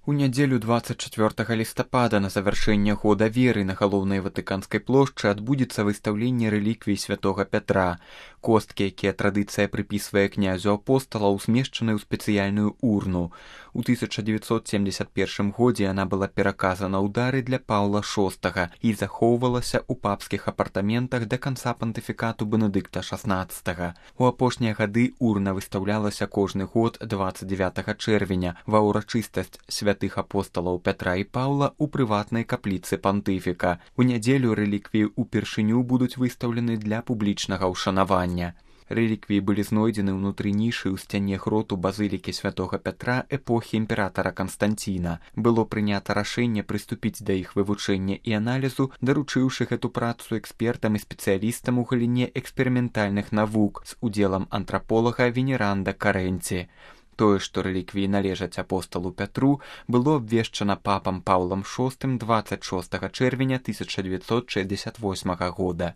У нядзелю 24 лістапада на завяршэнне года веры на галоўнай ватыканскай плошчы адбудзецца выстаўленне рэліквій святога Пятра. Косткі, якія традыцыя прыпісвае князю апосталаў, змешчаны ў спецыяльную урну. У 1971 годзе яна была пераказана ў дары для Паўла VI і захоўвалася ў папскіх апартаментах да канца пантыфікату Бенедыкта XVI. У апошнія гады урна выстаўлялася кожны год 29 чэрвеня ва ўрачыстасць святых апосталаў Пятра і Паўла ў прыватнай капліцы пантыфіка. У нядзелю рэліквіі ўпершыню будуць выстаўлены для публічнага ўшанавання. Рэліквіі былі знойдзены ўнутры нішы ў сцяне гроту базылікі святога Пятра эпохі імператара Канстанціна. Было прынята рашэнне прыступіць да іх вывучэння і аналізу, даручыўшы гэту працу экспертам і спецыялістам у галіне эксперыментальных навук з удзелам антраполага Венеранда Карэнці. Тое, што рэліквіі належаць апосталу Пятру, было абвешчана папам Паўлам VI 26 чэрвеня 1968 года.